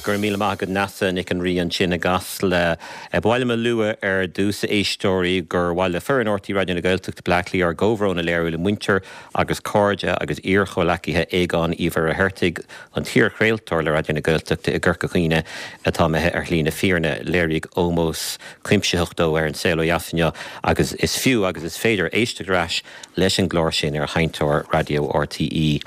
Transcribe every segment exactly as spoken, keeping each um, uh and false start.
Go raibh míle maith agat Neasa Nic an Rí ansin i gCasla. Ba mhaith liom a lua ar dtús a éisteoirí gur mhaith le foireann R T Raidió na Gaeltachta Bleá Cliath ár gcomhbhrón a léiriú le muintir agus cairde agus iarchomhleacaithe Aogán Uí Mhuircheartaigh, an t-iarchraoltóir le Raidió na Gaeltachta i gCorca Dhuibhne atá imithe ar shlí na fírinne. Léiríodh ómós cuimsitheach dó ar An Saol Ó Dheas inniu agus is fiú agus is féidir éisteacht ar ais leis an gclár sin ar sheinnteoir raidió R T E.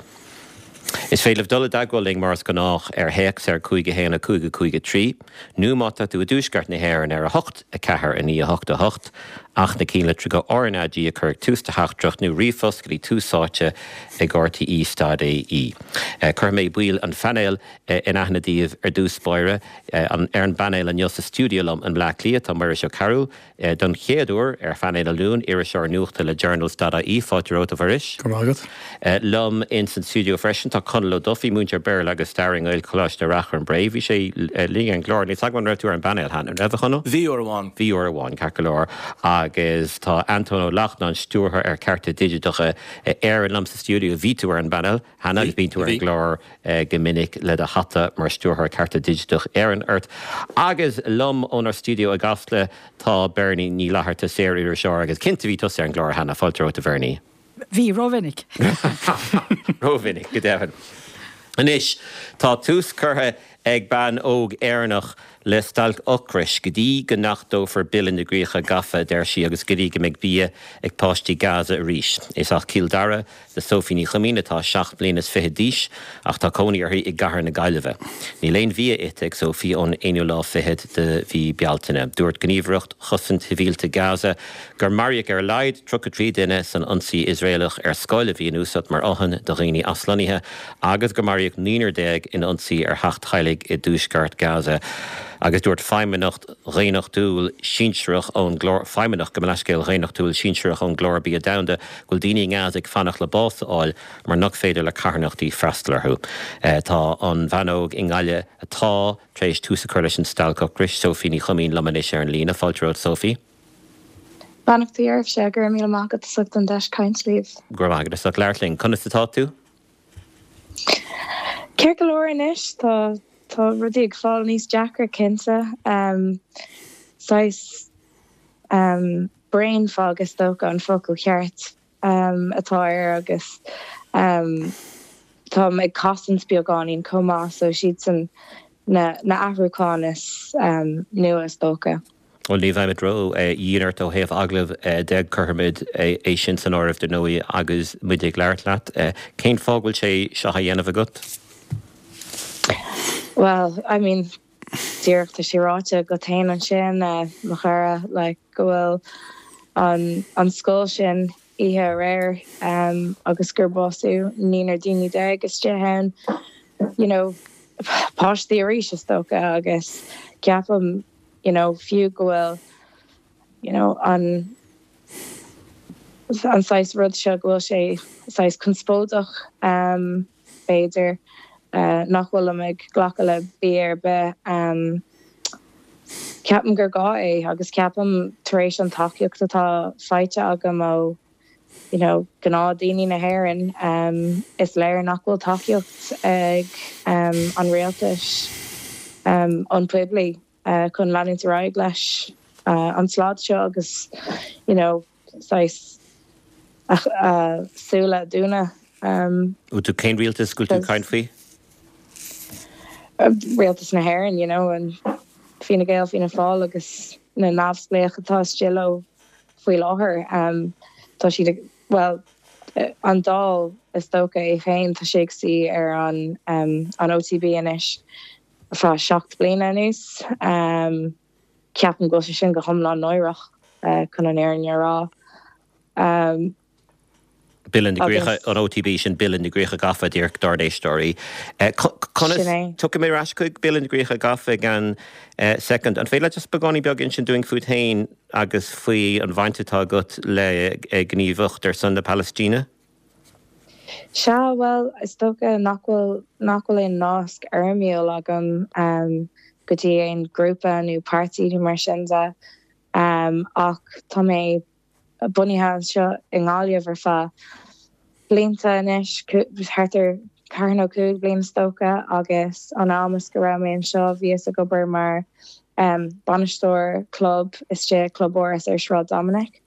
Is féidir libh dul i dteagmháil linn mar is gnách ar théacs ar cúig a haon a cúig a cúig a trí, nó má tá tú i dtuaisceart na hÉireann ar a hocht a ceathair a naoi a hocht a hocht, ach na cinnlitreacha R N A G a chur ag tús do theachtaireacht nó ríomhphost go dtí tús áite ag R T E stad A E. Cuirfidh mé baill an phainéil in aithne daoibh ar dtús báire. Ar an bpainéal inniu sa stiúideo liom i mBleá Cliath tá Muiris Ó Cearúil, don chéad uair ar phainéal an Luain, iriseoir nuachta le Journals dot I E. Fáilte romhat, a Mhuiris. Go raibh maith agat. Liom ins an stiúideo freisin tá Conall Ó Dufaigh, múinteoir Béarla agus Staire i nGaelcholáiste Ráth Chairn Bré. Bhí sé linn ar an gclár. Níl 's agam an raibh tú ar an bpainéal cheana. An raibh, a Chonaill? Bhí uair amháin. Bhí uair amháin, ceart go leor. Agus tá Antóin Ó Lachtnáin, stiúrthóir ar Cearta Digiteacha Éireann liom sa stiúideo. Bhí tú ar an bpainéal cheana agus bíonn tú ar an gclár go minic le do hata mar stiúrthóir Cearta Digiteach Éireann ort. Agus liom ónár stiúideo i gCasla tá Bernie Ní Fhlatharta, saor-iriseoir agus cinnte bhí tusa ar an gclár cheana. Fáilte romhat, a Bhernie. Bhí, rómhinic. Rómhinic, go deimhin. Anois, tá tús curtha ag bean óg Éireannach le stailc ocrais go dtí go n-achtófar Bille na gCríocha Gafa, deir sí, agus go dtí go mbeidh bia ag páistí Gaza arís. Is as Cill Dara do Sophie Ní Chuimín atá seacht mbliana is fiche d'aois ach tá cónaí uirthi i gCathair na Gaillimhe. Níl aon bhia ite ag Sophie ón aonú lá fichead de mhí Bealtaine. Dúirt Gníomhaireacht Chosaint Shibhialta Gaza gur maraíodh ar a laghad tríocha trí duine san ionsaí Iosraelach ar scoil a bhí in úsáid mar fhothain do dhaoine aslonnaithe agus gur maraíodh naonúr déag in ionsaí ar theach teaghlaigh i dtuaisceart Gaza. Agus dúirt feidhmeannach dhaonnachtúil sinsearach ón gclár feidhmeannach gabh mo leithscéal dhaonnachtúil sinsearach ón gClár Bia Domhanda go bhfuil daoine i nGaza ag fanacht le bás a fháil mar nach féidir le carthanachtaí freastal orthu. Tá an bhean óg i nGaillimh atá tar éis tús a chur leis an stailc ocrais, Sophie Ní Chuimín liom anois ar an líne. Fáilte romhat, Sophie. Beannachtaí oraibhse, go raibh míle maith agat as ucht an deis caint libh. Go raibh maith agat as ucht labhairt linn. Conas atá tú? Ceart go leor anois, tá tá rudaí ag fáil níos deacra cinnte. Um, saghas um, brain fog is dócha an focal ceart um, atá air agus um, táim ag cosaint beagáinín chomh maith so siad na na athrúcháin is um, nua is dócha. Bhuel ní bheimid ró-dhian ort ó thaobh agallamh de cuirfimid é sin san áireamh dar ndóigh agus muid ag labhairt leat. Cén fáth go bhfuil sé seo á dhéanamh agat? Well, I mean, díreach tá sé ráite agat féin ansin mo chara like, go bhfuil an, an scoil sin oíche aréir um, agus gur básaíodh naonúr daoine déag istigh ann, you know, páistí arís is dócha agus ceapaim you know, fiú go bhfuil you know, an an saghas rud seo go bhfuil sé saghas conspóideach um, b'fhéidir uh, nach bhfuilim ag glacadh le bia ar bith um, ceapaim gur gá é agus ceapaim tar éis an tacaíocht atá faighte agam ó you know, gnáthdhaoine na hÉireann um, is léir nach bhfuil tacaíocht ag um, an rialtas um, an poiblí uh, chun leanúint ar aghaidh leis uh, an slad seo agus you know, saghas uh, súile a dhúnadh. Um, tú cén rialtas go bhfuil tú caint faoi? Rialtas na hÉireann, you know, an Fine Gael, Fianna Fáil agus na neamhspleách atá istigh leo faoi láthair. Um, tá siad well an Dáil is dócha é féin tá sé ag suí ar an um, an O T B anois feadh seacht bliana anuas. Um, ceapaim go bhfuil sé sin go hiomlán náireach uh, chun an fhírinne a rá. Um, Bille na gCríocha an O T B sin Bille na gCríocha Gafa díreach dár n-éisteoirí. Conas tiocfaidh mé ar ais chuig Bille na gCríocha Gafa gan second. An féidir just beagáinín beag insint dúinn fút féin agus faoi an bhaint atá agat le gníomhaíocht ar son na Palaistíne? Sea, well, is dócha nach bhfuil nach bhfuil aon nasc fhoirmiúil agam um, go dtí aon grúpa nó páirtí nó mar sin de um, ach tá mé bunaithe anseo i nGaillimh ar feadh blianta anois thart ar ceathair nó cúig bliain is dócha agus an am is go raibh mé anseo bhíos ag obair mar um, bainisteoir club istigh Club Áras ar Sráid Dominic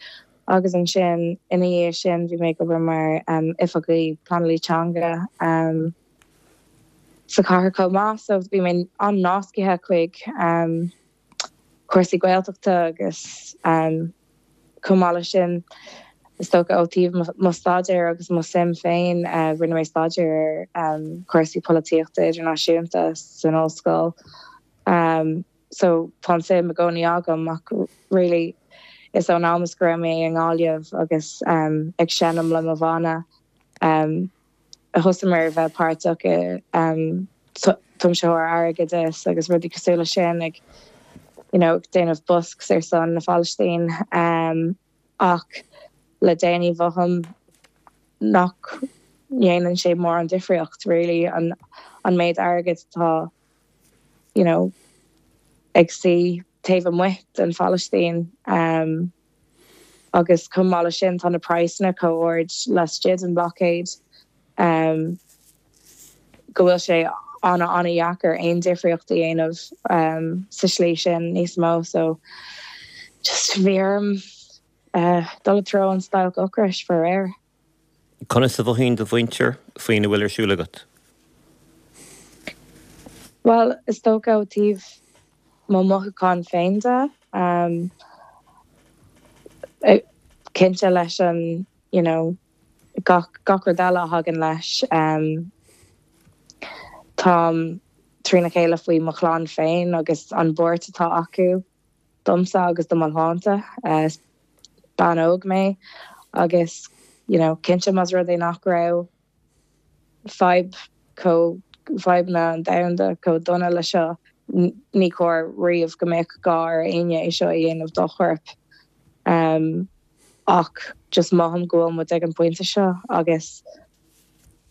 agus ansin ina dhiaidh sin bhí mé ag obair mar um, oifigeach pleanála teanga um, sa chathair chomh maith so bhí mé an-nasctha chuig um, cúrsaí Gaeltachta agus um, chomh maith leis sin is dócha ó taobh mo staidéar agus mo suim féin uh, rinne mé staidéar ar um, cúrsaí polaitíochta idirnáisiúnta san ollscoil. Um, so tá suim i gcónaí agam ach really is ón am is go raibh mé i nGaillimh agus um, ag seinm le mo bhanna um, a thosaigh mé bheith páirteach i um, tiomsú airgid agus rudaí cosúil leis sin ag you know, déanamh busks ar son na Phalaistín um, ach le déanaí mothaím nach ndéanann sé mórán difríocht really an an méid airgid atá you know, ag suí taobh amuigh den Phalaistín um, agus chomh maith leis sin tá na praghsanna chomh hard laistigh den blockade um, go bhfuil sé an an-deacair aon difríocht a dhéanamh um, sa slí sin níos mó so just bhí orm uh, dul tríd an stailc ocrais faraor. Conas a mhothaíonn do mhuintir faoina bhfuil ar siúl agat? Well is dócha ó taobh mo mothúchán féin de um, cinnte leis an you know, gach gach rud eile a thagann leis um, Táim trína chéile faoi mo chlann féin agus an buairt atá acu domsa agus do mo shláinte uh, bean óg mé agus you know, cinnte más rud é nach raibh fadhb chomh fadhbanna an domhanda chomh dona le seo ní cóir riamh go mbeadh gá ar éinne é seo a dhéanamh dá chorp. Um, ach just mothaím go bhfuil muid ag an pointe seo agus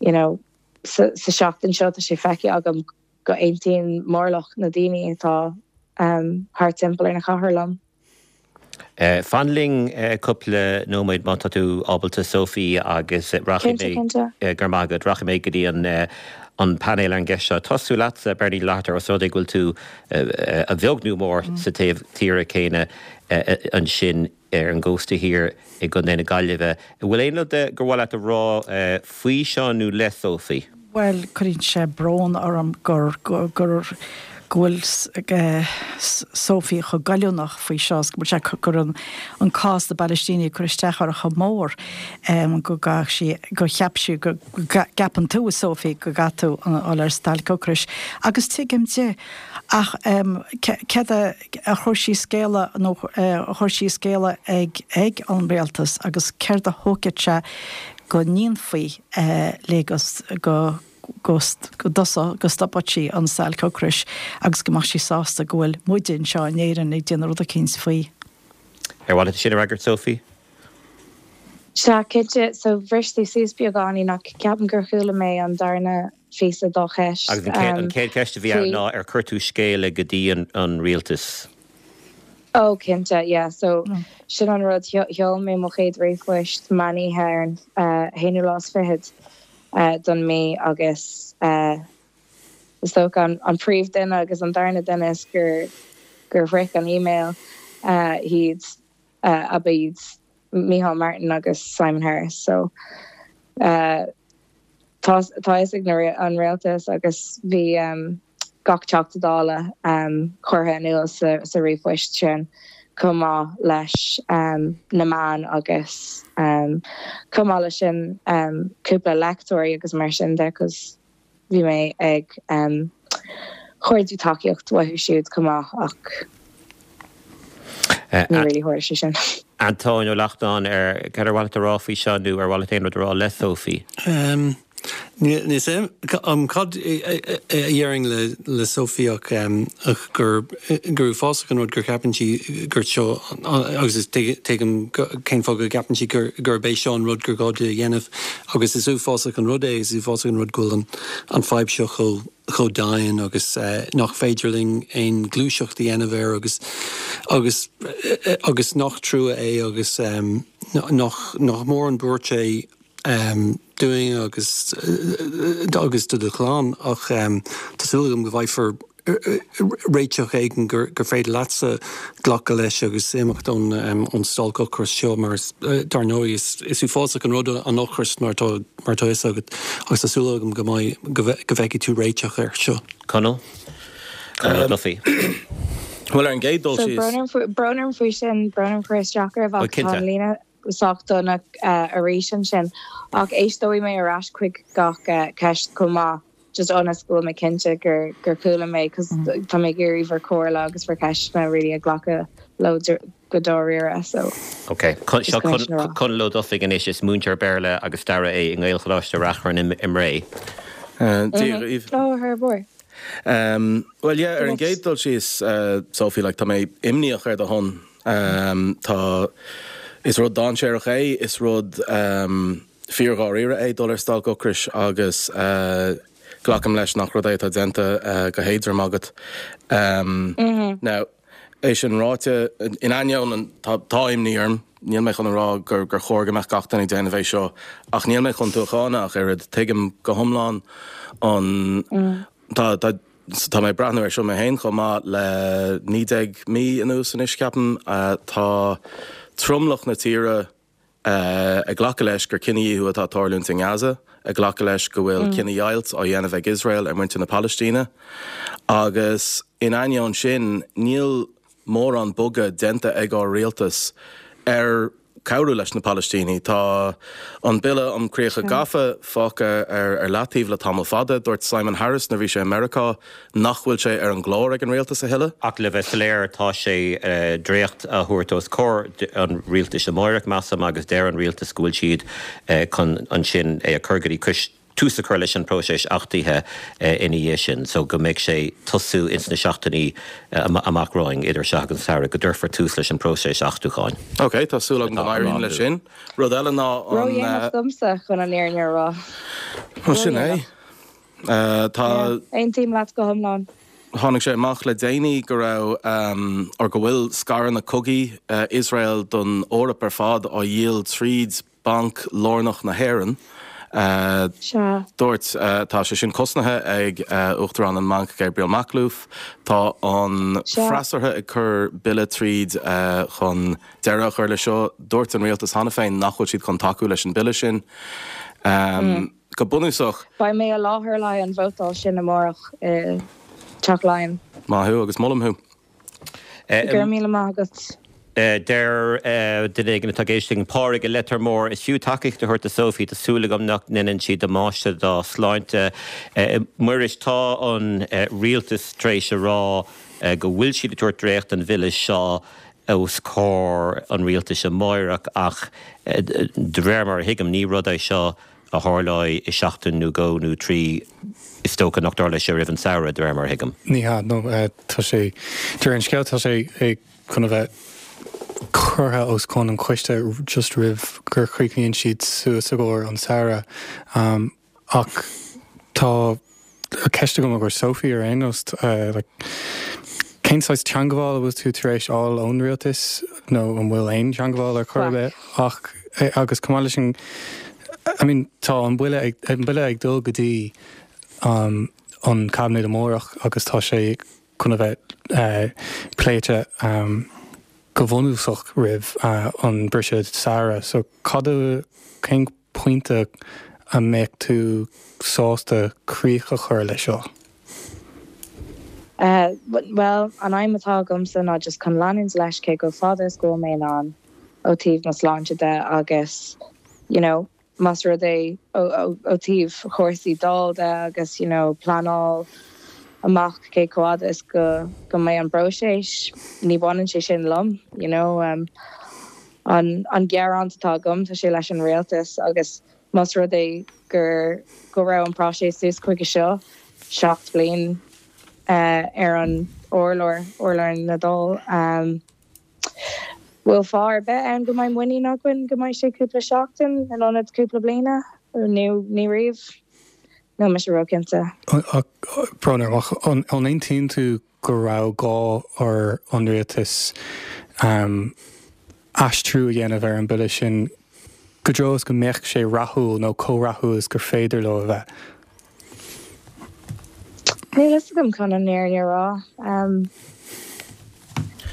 you know, sa, sa seachtain seo tá sé feicthe agam go aontaíonn mórlach na daoine atá um, thart timpeall ar na cathair liom. Uh, fan linn uh, cúpla nóiméad má tá tú ábalta Sophie agus rachaidh mé uh, gur magad rachaidh mé go dtí an uh, an painéal an gceist seo. Tosú leatsa Bernie Látar os rud é go bhfuil tú uh, a bheag nó mór mm. sa taobh tíre céanna uh, ansin ar an gcósta thiar i gContae na Gaillimhe. Bhfuil aon rud gur mhaith leat a rá uh, faoi seo nó le Sophie? Well cuireann sé brón orm gur gur gur go bhfuil Sophie chomh goilliúnach faoi seo go sé gur an an cás na bPalaistíne cur isteach uirthi chomh mór go ga sí go cheap sí go gceapann tú Sophie go gcaithfidh tú dul ar stailc ocrais. Agus tuigim di ach céard a chuir sí scéala nó a chuir sí scéala ag ag an rialtas agus céard a thógfaidh sé go ndéanfaí le go go go stopfadh sí an stailc ocrais agus go mbeadh sí sásta go bhfuil muid anseo in Éirinn ag déanamh rud éicint faoi. Ar mhaith leat sin a fhreagairt Sophie? Sea cinnte so bhris tú suas beagáinín ach ceapaim gur chuala mé an darna píosa dá cheist. Agus an chéad cheist a bhí ann ná ar chuir tú scéala go dtí an rialtas. Oh cinnte yeah so mm. sin an rud sheol mé mo chéad ríomhphost meán oíche ar an uh, haonú lá is fichead uh, don mí agus uh, is dócha an, an príomhdhuine agus an darna duine is gur gur shroich an email uh, iad uh, ab iad Micheál Martin agus Simon Harris so uh, tá tá ag an rialtas agus bhí um, gach Teachta Dála um, curtha in iúl sa, sa ríomhphost sin chomh maith leis um, na meáin agus um, chomh maith leis sin um, cúpla léachtóirí agus mar sin de cos bhí mé ag um, cuardú tacaíocht uathu siúd chomh maith ach ní really tharla sé sin. Antóin Ó Lachtnáin ar cad ar mhaith leat a rá faoi seo nó ar mhaith leat aon rud a rá le Sophie. Um, Ní sé um, cad a dhéarfainn le le Sophie ach um, ach gur gur uafásach an rud gur ceapann sí gur seo agus is tuigim cén fáth go gceapann sí gur gur bé seo an rud gur gá di a dhéanamh agus is uafásach an rud é is uafásach an rud go bhfuil an an fadhb seo chomh chomh dian agus uh, nach féidir linn aon ghluaiseacht a dhéanamh air agus agus agus nach trua é agus um, nach nach mór an buairt é dúinn agus agus do do chlann ach tá súil agam go bhfaighfear réiteach éigin gur gur féidir leatsa glacadh leis agus imeacht ón ón stailc ocrais seo mar dar ndóigh is is uafásach an rud an ocras mar tá mar tá fhios agat agus tá súil agam go mbeidh go bhfeicfidh tú réiteach air seo. Conall? Conall Duffy. Well ar an gcéad dul So síos. brón orm brón orm faoi sin brón orm cur isteach oraibh Oh, ach tá cinnte. an líne sách dona arís ansin ach éisteoidh mé ar ais chuig gach ceist chomh maith just ionas go bhfuil mé cinnte gur gur chuala mé cos tá mé ag iarraidh bhur comhairle agus bhur ceisteanna really a ghlacadh leo go dáiríre so Ok, seo Conall Ó Dufaigh anois is múinteoir Béarla agus staire é i nGaelcholáiste Reachrann i mBré. Dia dhaoibh. Oh, her boy. Um, well yeah, ar an gcéad dul síos uh, Sophie like, tá mé imníoch ar do shon. Um, tá is rud dainséarach é, is rud um, fíordháiríre é dul ar stailc ocrais agus uh, glacaim leis nach rud é atá déanta uh, go héadrom agat. Um, mm -hmm. Now, é sin ráite in ainneoin an tá tá imní orm, níl mé chun a rá gur gur chóir go mbeadh gach duine ag déanamh é seo, ach níl mé chun tú a cháineadh ach oiread tuigim go hiomlán an mm. tá tá tá mé breathnú ar seo mé féin chomh maith le naoi déag mí anuas anois ceapaim uh, tá tromlach na tíre uh, ag glacadh leis gur cinedhíothú atá ag tarlúint in Gaza, ag glacadh leis go bhfuil mm. cinedheighilt á dhéanamh ag Israel ar muintir na Palaistíne. Agus in ainneoin sin níl mórán bogadh déanta ag ár rialtas ar cabhrú leis na Palaistínigh. Tá an bille um críocha gafa fágtha ar ar leataobh le tamall fada, dúirt Simon Harris nuair a bhí sé i Meiriceá nach bhfuil sé ar an gclár ag an rialtas a thuilleadh. Ach le bheith soiléir tá sé uh, dréacht a thabhairt os comhair an rialtais amárach measaim agus deir an rialtas go bhfuil siad uh, chun ansin é a chur go dtí tús a chur leis an próiseas achtaithe ina dhiaidh sin, so go mbeidh sé tosú ins na seachtainí amach romhainn idir seo agus an samhradh go dtabharfar tús leis an próiseas achtúcháin. Ok, tá súil agam go n-éiríonn leis sin. Rud eile ná an domsa chun an fhírinne a rá. Sin é. Tá Aontaím leat go hiomlán. Tháinig sé amach le déanaí go raibh um, or go bhfuil scaireanna cogaidh uh, Israel don Eoraip ar fad á dhíol tríd Banc Lárnach na hÉireann. Uh, Dúirt uh, tá sé sin cosnaithe ag uh, Uachtarán an mBanc Gabriel Makhlouf, Tá an freasúra ag cur bille tríd uh, chun deireadh a chur le seo, dúirt an rialtas cheana féin nach bhfuil siad chun tacú leis an bille sin. Um, mm. Go bunúsach. Beidh mé i láthair le an vótáil sin amárach uh, Teach Laighean. Maith thú agus molaim thú. Go raibh míle maith agat. Deir duine éigin atá ag éisteacht Pádraig i Leitir Móir is fiú tacaíocht a thabhairt do Sophie tá súil agam nach ndéanann sí damáiste dá sláinte. Muiris tá an rialtas tar éis a rá go bhfuil siad ag tabhairt dréacht an bhille seo os comhair an rialtais amárach ach de réir mar a thuigim ní rud é seo a tharlóidh i seachtain nó dhó nó trí is dócha nach dtarlóidh sé roimh an samhradh de réir mar a thuigim. Ní hea nó tá sé de réir an scéil tá sé chun a bheith curtha os cionn an choiste just roimh gur chríochnaíonn siad suas i gcomhair an samhradh. Um, ach tá ceist agam do Sophie ar aon nós uh, like, cén saghas teagmháil a bhfuil tú tar éis fháil ón rialtas nó an bhfuil aon teagmháil ar chor ar bith ach eh, agus chomh maith leis sin I mean, tá an bille ag, an bille ag dul go dtí um, an cabinet amárach agus tá sé chun a bheith uh, pléite um, go bunúsach roimh uh, an briseadh samhraidh, so cad cén pointe a mbeadh tú sásta críoch a chur leis seo? Uh, well, an aidhm atá agamsa ná just chun leanúint leis cé chomh fada is go mé an ó taobh na sláinte de agus you know, más rud é ó taobh chúrsaí Dála de agus you know, pleanáil amach cé chomh fada is go go mbeidh an próiseas ní bhaineann sé sin liom you know um, an an gearán atá agam tá sé leis an rialtas agus más rud é gur go raibh an próiseas suas chuige seo seacht bliain uh, ar an urlár urlár na Dála um, bhfuil fáth ar bith ann go mbeidh muinín againn go mbeidh sé cúpla seachtain in ionad cúpla bliana nó ní riamh Níl mise róchinnte. Brón orm ach an aontaíonn tú go raibh gá ar an rialtas um, aistriú a dhéanamh ar an bille sin go dtreo is go mbeadh sé rathúil nó chomh rathúil is gur féidir leo a bheith. Níl fhios agam chun an fhírinne a rá.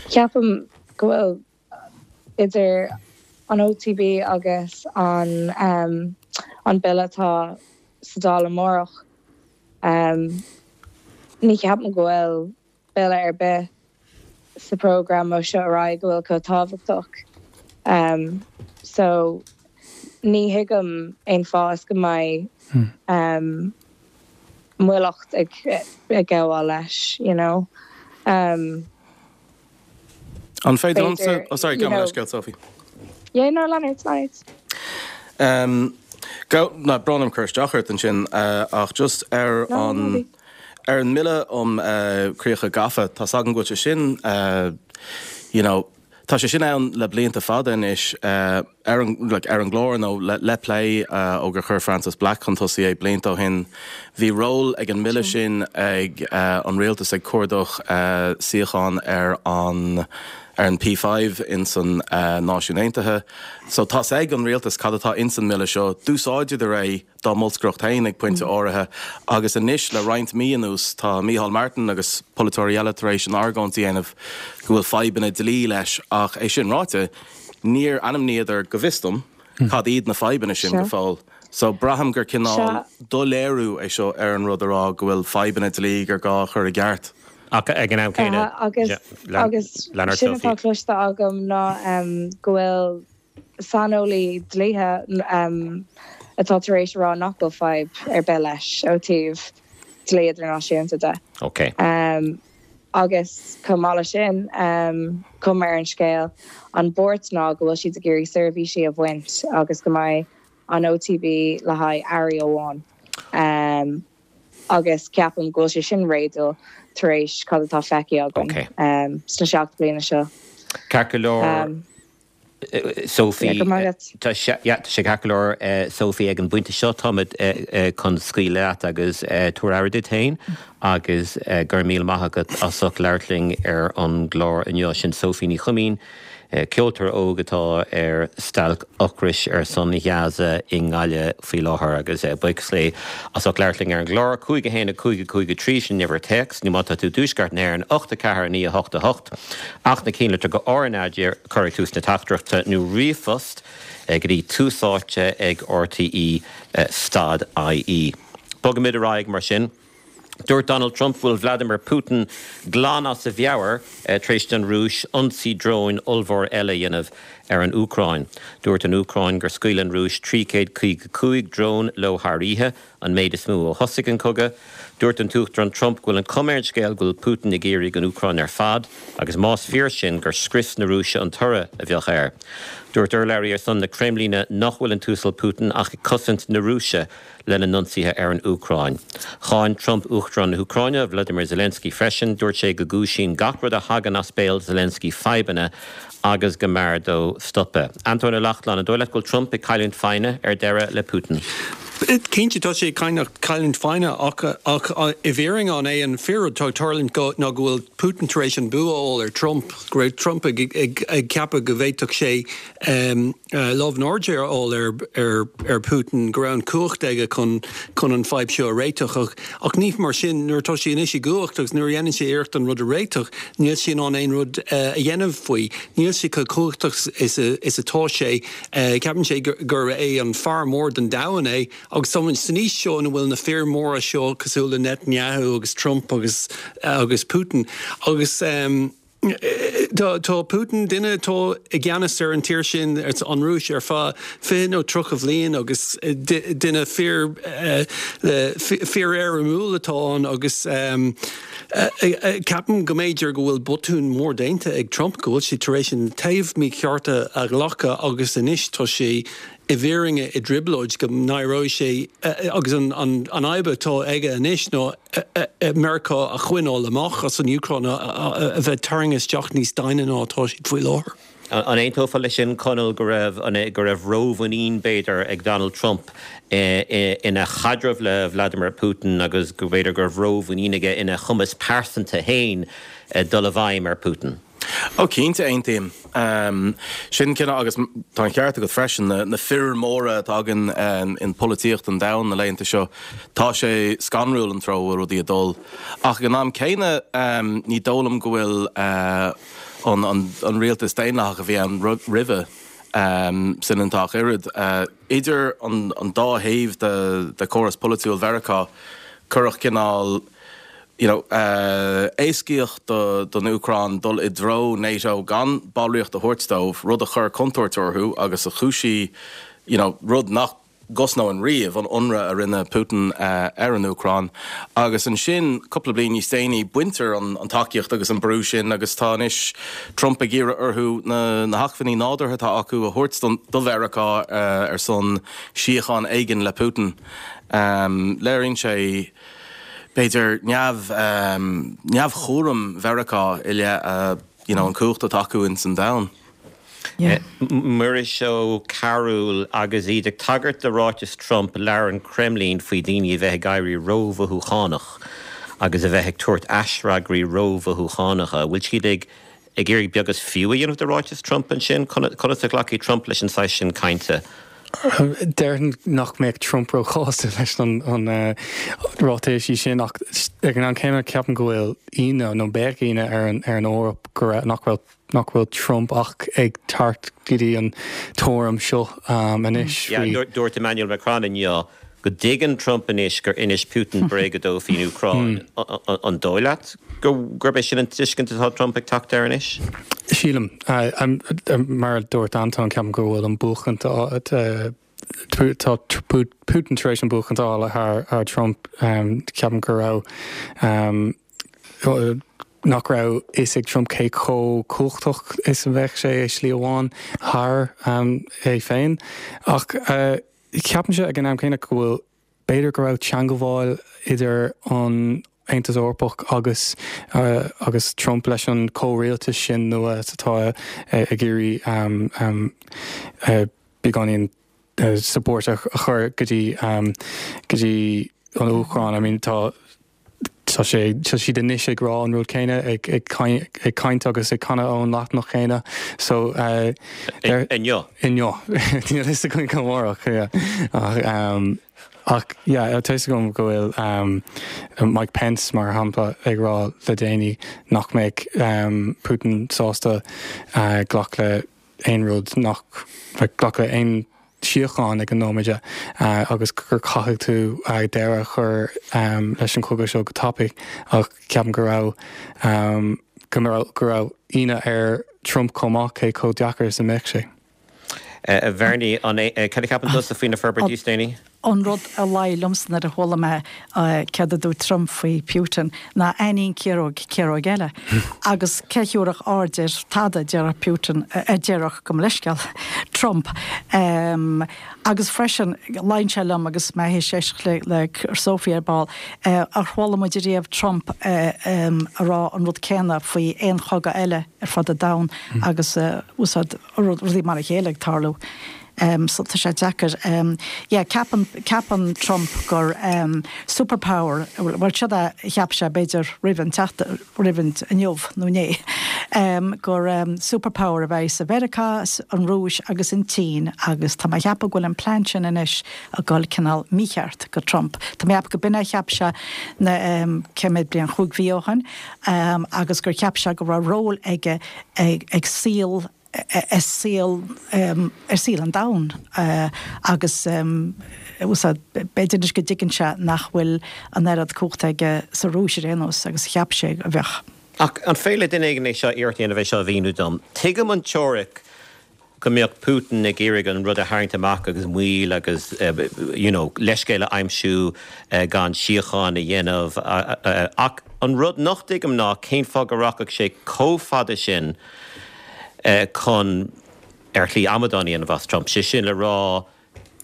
Ceapaim go bhfuil idir an OTB agus an an bille atá sa Dáil amárach, ní cheapaim go bhfuil bille ar bith sa program ó seo ar aghaidh go bhfuil chomh tábhachtach. So ní thuigim aon fáth is go mbeidh moilleacht ag gabháil leis, you know. An féidir liomsa, oh sorry, gabh mo leithscéal, Sophie. Yeah, no, lean ort, lean ort. Um, go, ná, brón orm cur isteach ort ansin, ach just ar an, ar an mBille um Críocha Gafa, tá's agam go bhfuil sé sin, you know, tá sé sin ann le blianta fada anois ar an, like, ar an gclár nó le, le plé ó gur chuir Frances Black chun tosaigh é blianta ó shin. Bhí ról ag an mBille sin ag an rialtas ag cuardach suíochán ar an, ar an P five ins an Náisiún Aontaithe. So tá's ag an rialtas cad atá ins an mBille seo. D'úsáideadar é dá mbolscaireacht féin ag pointe áirithe agus anois le roinnt mí anuas tá Micheál Martin agus polaiteoirí eile tar éis an argóint a dhéanamh go bhfuil fadhbanna dlí leis ach é sin ráite níor ainmníodar, go bhfios dom, cad iad na fadhbanna sin go fóill. So braithim gur cineál doiléiriú é seo ar an rud a rá go bhfuil fadhbanna dlí gur gá a chur i gceart. Ach ag an am céanna, Agus agus sin atá cloiste agam ná go bhfuil saineolaí dlíthe atá tar éis a rá nach bhfuil fadhb ar bith leis ó taobh dlí idirnáisiúnta de. Ok. Agus chomh maith leis sin, cuma ar an scéal, an buairt ná go bhfuil siad ag iarraidh seirbhísí a bhaint agus go mbeidh an OTB le haghaidh airí amháin. Agus ceapaim go bhfuil sé sin réadúil tar éis cad atá feicthe againn sna seacht bliana seo. Ceart go leor, Sophie. Tá sé ceart go leor, Sophie, ag an bpointe seo táimid chun scaoileadh leat agus tabhair aire duit féin agus go raibh míle maith agat as ucht labhairt linn ar an gclár inniu. Sin Sophie Ní Chuimín. Ceoltóir óg atá ar stailc ocrais ar son Ghaza i nGaillimh faoi láthair agus buíochas léi as ucht labhairt linn ar an gclár. Cúig a haon a cúig a cúig a trí sin uimhir téacs nó má tá tú i dtuaisceart na hÉireann ocht a ceathair a naoi a hocht a hocht ach na cinnlitreacha RnaG a chur ag tús na teachtaireachta nó ríomhphost go dtí tús áite ag rte stad ie. Bogaimid ar aghaidh mar sin. Dúirt Donald Trump go bhfuil Vladimir Putin glan as a mheabhair tar éis don Rúis ionsaí dróin ollmhór eile a dhéanamh ar an Úcráin. Dúirt an Úcráin gur scaoil an Rúis trí chéad caoga cúig drón leo thar oíche, an méid is mó ó thosaigh an cogadh. Dúirt an tUachtarán Trump go bhfuil an chuma ar an scéal go bhfuil Putin ag iarraidh an Úcráin ar fad agus más fíor sin gur scrios na Rúise an toradh a bheadh air. Dúirt urlabhraí ar son na Creimlíne nach bhfuil an tUasal Putin ach ag cosaint na Rúise lena n-ionsaithe ar an Úcráin. Cháin Trump Uachtarán na hÚcráine, Vladimir Zelensky freisin. Dúirt sé go gcúisíonn gach rud a thagann as béal Zelensky fadhbanna agus go mb'fhearr dó stopadh. Antóin Ó Lachtnáin, an dóigh leat go bhfuil Trump ag cailliúint foighne ar deireadh le Putin? Cinnte, tá sé ag cailliúint foighne ach ach i bhfírinne an é an fíor-rud atá ag tarlúint go ná go bhfuil Putin tar éis an bua a fháil ar Trump, go raibh Trump ag ag ag ceapadh go bhféadfadh sé lámh in airde a fháil ar ar ar Putin, go raibh an cumhacht aige chun chun an fadhb seo a réiteach ach ach ní mar sin nuair atá sé anois i gcumhacht agus nuair a dhéanann sé iarracht an rud a réiteach níl sé in ann aon rud a dhéanamh faoi. Níl sé chomh cumhachtach is a is atá sé. Ceapann sé gur gur é an fear mór den domhan é agus táimid san aois seo ina bhfuil na fir mhóra seo cosúil le Netanyahu agus Trump agus agus Putin agus tá tá Putin duine atá i gceannas ar an tír sin an Rúis ar feadh fiche nó tríocha bhliain agus duine fíor fíor-éirimiúil atá ann agus ceapaim go mb'fhéidir go bhfuil botún mór déanta ag Trump go bhfuil sé tar éis an taobh mícheart a ghlacadh agus anois tá sé i bhfírinne i dtrioblóid go n-éireoidh sé agus an an fhadhb atá aige anois ná Meiriceá a choinneáil amach as an Úcráin a bheith tarraingthe isteach níos doimhne ná atá siad faoi láthair. An aontófá leis sin, Conall, go raibh go raibh rómhuinín, b'fhéidir, ag Donald Trump ina chaidreamh le Vladimir Putin agus go b'fhéidir go raibh rómhuinín aige ina chumas pearsanta féin dul i bhfeidhm ar Putin? Ó cinnte aontaím. Sin cineál agus tá an ceart agat freisin, na fir móra atá againn in polaitíocht an domhain na laethanta seo, tá sé scanrúil an treo a bhfuil rudaí ag dul. Ach ag an am céanna ní dóigh liom go bhfuil an rialtas daonlathach a bhí ann roimhe soineanta ach oiread. Idir an dá thaobh de chóras polaitiúil Mheiriceá, cuireadh cineál you know, éascaíodh don Úcráin dul i dtreo NATO gan ballraíocht a thabhairt dóibh, rud a chuir contúirt orthu agus a chúisigh, you know, rud nach gcosnóinn riamh, an ionradh a rinne Putin ar an Úcráin. Agus ansin, cúpla bliain níos déanaí, baintear an tacaíocht agus an brú sin agus tá anois Trump ag iarraidh orthu na hacmhainní nádúrtha atá acu a thabhairt do Mheiriceá ar son síocháin éigin le Putin. Léiríonn sé, b'fhéidir, neamh, neamhchúram Mheiriceá i leith you know, an cumhacht atá acu ins an domhan. Muiris Ó Cearúil agus iad ag tagairt do ráiteas Trump, labhair an Kremlin faoi dhaoine a bheith ag éirí rómhothúchánach agus a bheith ag tabhairt aisfhreagraí rómhothúchánacha. Bhfuil siad ag ag iarraidh beag is fiú a dhéanamh de ráiteas Trump ansin? Conas a ghlacfaidh Trump leis an saghas sin cainte? Déarfainn nach mbeadh Trump róshásta leis an ráitéisí sin ach ag an am céanna ceapaim go bhfuil ionadh nó beidh ionadh ar an ar an Eoraip go raibh nach bhfuil nach bhfuil Trump ach ag teacht go dtí an tuairim seo anois faoi. Dúirt Emmanuel Macron inniu go dtuigeann Trump anois gur inis Putin bréaga dó faoin Úcráin. An dóigh leat gurb é sin an tuiscint atá Trump ag teacht air anois? Sílim. Mar a dúirt Anton, ceapaim go bhfuil an buachaint tá Putin tar éis an buachaint a fháil thar Trump. Ceapaim go raibh nach raibh fhios ag Trump cé chomh cumhachtach is a bheadh sé i slí amháin thar é féin. Ach ceapaimse ag an am céanna go bhfuil, b'fhéidir go raibh teangabháil idir an Aontas Eorpach agus agus Trump leis an comhrialtas sin nua atá ag iarraidh beagáinín support a chur go dtí go dtí an Úcráin. I mean tá tá sé tá siad anois ag rá an rud céanna ag ag ag caint agus ag canadh ón leathanach céanna so uh, inniu inniu níl fhios againn amárach yeah. ach um, ach yeah, tá fhios agam go bhfuil um, Mike Pence mar shampla ag rá le déanaí nach mbeidh um, Putin sásta uh, glacadh le aon rud nach like, glacadh le aon síocháin ag an nóiméad agus gur caithfidh tú deireadh a chur leis an chogadh seo go tapaidh ach ceapaim go raibh go raibh go raibh ionadh ar Trump chomh maith cé chomh deacair is a mbeadh sé. A Bhernie, an é cad a cheapann tusa faoi na forbairtí is déanaí? An rud a luigh liomsa nuair a chuala mé céard a dúirt Trump faoi Putin ná ainnín ciaróg, ciaróg eile. Agus cé thiúrfadh aird ar tada, a déarfadh Putin, a déarfadh, gabh mo leithscéal, Trump. Agus freisin, luíonn sé liom agus mé théis éisteacht le le Sophie ar ball, ar chuala muid ariamh Trump a rá an rud céanna faoi aon chogadh eile ar fud an domhain agus úsáid rudaí mar a chéile ag tarlú. So tá sé deacair. Yeah, ceapann, ceapann Trump gur superpower, bhuel siod é a cheap sé b'fhéidir roimh an teacht, roimh an inniu nó inné, gur superpower a bheidh sa Mheiriceá, an Rúis agus an tSín agus tá mé a cheapadh go bhfuil an plean sin anois ag dul cineál mícheart go Trump. Tá mé a cheapadh go b'in é a cheap sé na cé mhéad bliain, chúig mhí ó shin agus gur cheap sé go raibh ról aige ag saol ar saol ar saol an domhain agus b'fhéidir anois go dtuigeann sé nach bhfuil an oiread cumhachta aige sa Rúis ar aon nós agus a cheap sé a bheadh. Ach an féidir le duine éigin é seo iarracht a dhéanamh é seo a mhíniú dom? Tuigim an teoiric go mbeadh Putin ag iarraidh an rud a tharraingt amach agus moill agus you know leithscéal a aimsiú gan síocháin a dhéanamh ach an rud nach dtuigim ná cén fáth go rachadh sé chomh fada sin chun ar shlí amadán a dhéanamh as Trump. Sé sin le rá,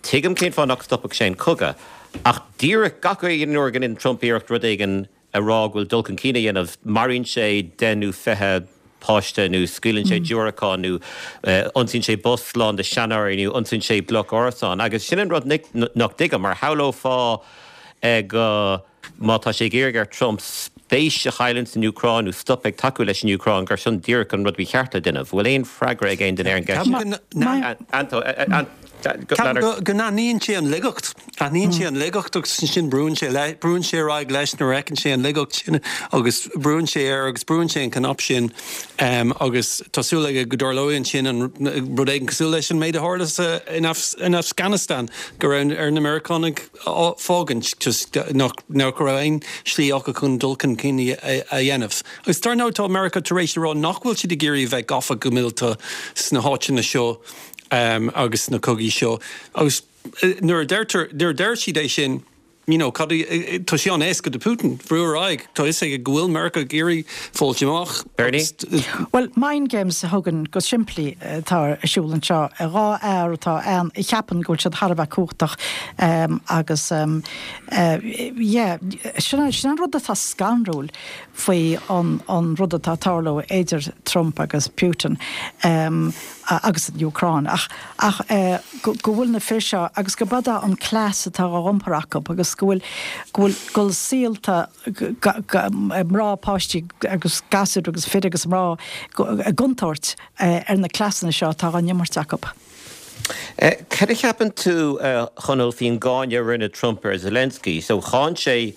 tuigim cén fáth nach stopfadh sé an cogadh, ach díreach gach aon uair go ndéanann Trump iarracht rud éigin a rá go bhfuil dul chun cinn á dhéanamh, maraíonn sé deich nó fiche páiste nó scaoileann sé diúracán nó ionsaíonn sé bus lán de sheanóirí nó ionsaíonn sé bloc árasán. Agus sin an rud nach dtuigim, mar shamhlófá go, má tá sé ag iarraidh ar Trump spéis a chailliúint san Úcráin nó stop ag tacú leis an Úcráin, gur sin díreach an rud ba cheart le déanamh. Bhfuil aon freagra ag aon duine ar an gceist sin? Go n-aithníonn sé an laigeacht. Aithníonn sé an laigeacht agus ansin brúnn sé le, brúnn sé ar aghaidh leis nuair a fheiceann sé an laigeacht sin agus brúnn sé air agus brúnn sé an cnap sin agus tá súil aige go dtarlóidh ansin an rud éigin cosúil leis an méid a tharla sa, in in Afghanistan go raibh ar na Meiriceánaigh fágaint just nach nach raibh aon slí acu chun dul chun cinn a dhéanamh. Agus dar ndóigh tá Meiriceá tar éis a rá nach bhfuil siad ag iarraidh a bheith gafa go míleata sna háiteanna seo agus sna cogaí seo. Agus nuair a deirtear, nuair a deir siad é sin, you know, cad é, tá sé an-éasca do Putin brú ar aghaidh, tá fhios aige go bhfuil Meiriceá ag iarraidh fáilt amach. Bernie? Bhuel, mind games a thugann go simplí atá ar siúl anseo. Dhá fhear atá ann a cheapann go bhfuil siad thar a bheith cumhachtach agus yeah, sin an rud atá scanrúil faoi an rud atá ag tarlú idir Trump agus Putin. agus an Úcráin, ach ach go bhfuil na fir seo agus go b'fhada an cleas atá á iompar acu agus go bhfuil go bhfuil go bhfuil saolta mná, páistí agus gasúir agus fir agus mná i gcontúirt ar na cleasanna seo atá á n-imirt acu. Cad a cheapann tú, a Chonaill, faoin gcáineadh a rinne Trump ar Zelensky? So cháin sé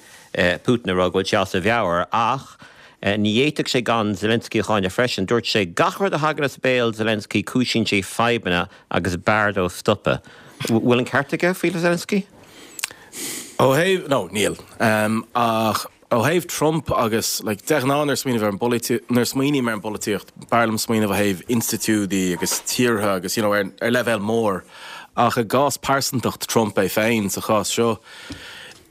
Putin ag rá go bhfuil sé as a mheabhair ach Ní fhéadfadh sé gan Zelensky a cháineadh freisin. Dúirt sé, Gach rud a thagann as béal Zelensky cúisíonn sé fadhbanna agus b'fhearr dó stopadh. Bhfuil an ceart aige faoi Zelensky? Ó thaobh, no, níl. Ach ó thaobh Trump agus, like, de ghnáth nuair a smaoineamh ar an bpolaitíocht, nuair a smaoiním ar an bpolaitíocht, b'fhearr liom smaoineamh ó thaobh institiúidí agus tíortha agus, you know, ar, ar leibhéal mór. Ach i gcás pearsantacht Trump é féin sa chás seo,